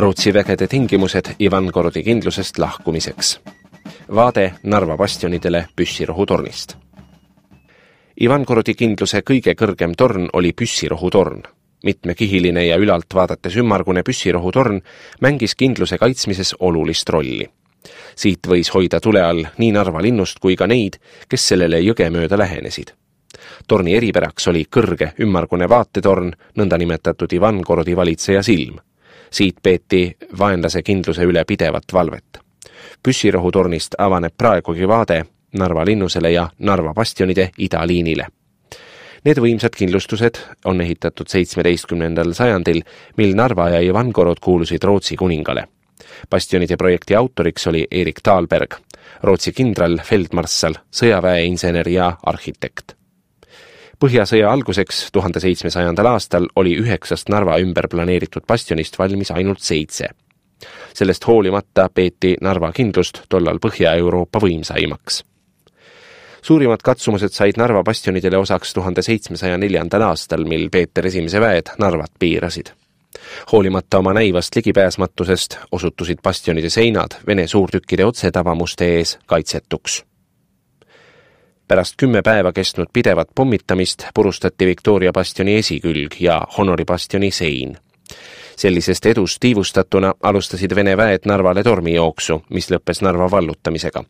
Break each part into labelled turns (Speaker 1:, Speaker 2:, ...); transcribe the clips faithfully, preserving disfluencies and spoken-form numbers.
Speaker 1: Rootsi vägede tingimused Ivangorodi kindlusest lahkumiseks. Vaade Narva bastionidele püssirohutornist. Ivangorodi kindluse kõige kõrgem torn oli püssirohutorn. Mitmekihiline ja ülalt vaadates ümmargune püssirohutorn mängis kindluse kaitsmises olulist rolli. Siit võis hoida tule all nii Narva linnust kui ka neid, kes sellele jõge mööda lähenesid. Torni eripäraks oli kõrge ümmargune vaatetorn, nõnda nimetatud Ivangorodi valitseja silm. Siit peeti vaenlase kindluse üle pidevat valvet. Püssirohutornist avaneb praegugi vaade Narva linnusele ja Narva bastionide idaliinile. Need võimsad kindlustused on ehitatud seitsmeteistkümnendal sajandil, mil Narva ja Ivangorod kuulusid Rootsi kuningale. Bastionide projekti autoriks oli Erik Dahlberg, Rootsi kindral, feldmarssal, sõjaväeinsener ja arhitekt. Põhjasõja alguseks tuhande seitsmesajandal aastal oli üheksast Narva ümber planeeritud bastionist valmis ainult seitse. Sellest hoolimata peeti Narva kindlust tollal Põhja-Euroopa võimsaimaks. Suurimad katsumused said Narva bastionidele osaks tuhande seitsmesaja neljandal aastal, mil Peeter esimese väed Narvat piirasid. Hoolimata oma näivast ligipääsmatusest osutusid bastionide seinad Vene suurtükkide otsetavamuste ees kaitsetuks. Pärast kümme päeva kestnud pidevat pommitamist purustati Victoria bastioni esikülg ja Honori bastioni sein. Sellisest edust tiivustatuna alustasid Vene väed Narvale tormijooksu, mis lõppes Narva vallutamisega.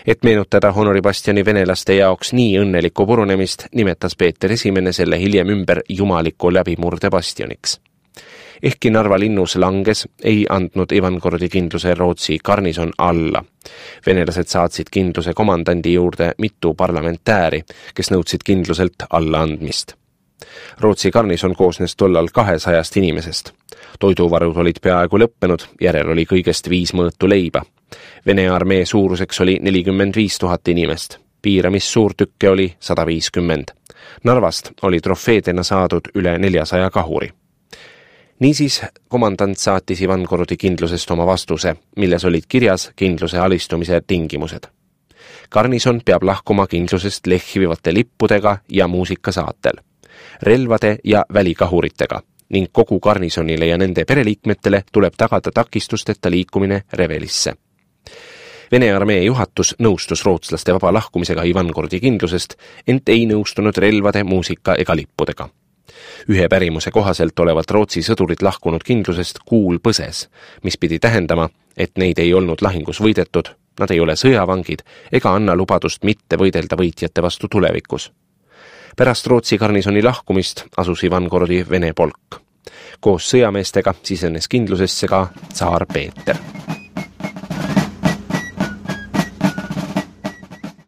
Speaker 1: Et meenutada Honori bastioni venelaste jaoks nii õnnelikku purunemist, nimetas Peeter esimene selle hiljem ümber jumaliku läbimurde bastioniks. Ehkki Narva linnus langes, ei andnud Ivangorodi kindluse Rootsi garnison alla. Venelased saatsid kindluse komandandi juurde mitu parlamentääri, kes nõudsid kindluselt allaandmist. Rootsi garnison koosnes tollal kahesajast inimesest. Toiduvarud olid peaaegu lõppenud, järel oli kõigest viis mõõtu leiba. Vene armee suuruseks oli nelikümmend viis tuhat inimest. Piiramis suurtükke oli sada viiskümmend. Narvast oli trofeedena saadud üle neljasaja kahuri. Niisiis, komandant saatis Ivangorodi kindlusest oma vastuse, milles olid kirjas kindluse alistumise tingimused. Garnison peab lahkuma kindlusest lehvivate lippudega ja muusikasaatel, relvade ja välikahuritega ning kogu garnisonile ja nende pereliikmetele tuleb tagada takistusteta liikumine Revelisse. Vene armee juhatus nõustus rootslaste vaba lahkumisega Ivangorodi kindlusest, ent ei nõustunud relvade, muusika ega lippudega. Ühe pärimuse kohaselt olevat Rootsi sõdurid lahkunud kindlusest kuul põses, mis pidi tähendama, et neid ei olnud lahingus võidetud, nad ei ole sõjavangid ega anna lubadust mitte võidelda võitjate vastu tulevikus. Pärast Rootsi garnisoni lahkumist asus Ivangorodi Vene polk. Koos sõjameestega sisenes kindlusesse ka tsaar Peeter.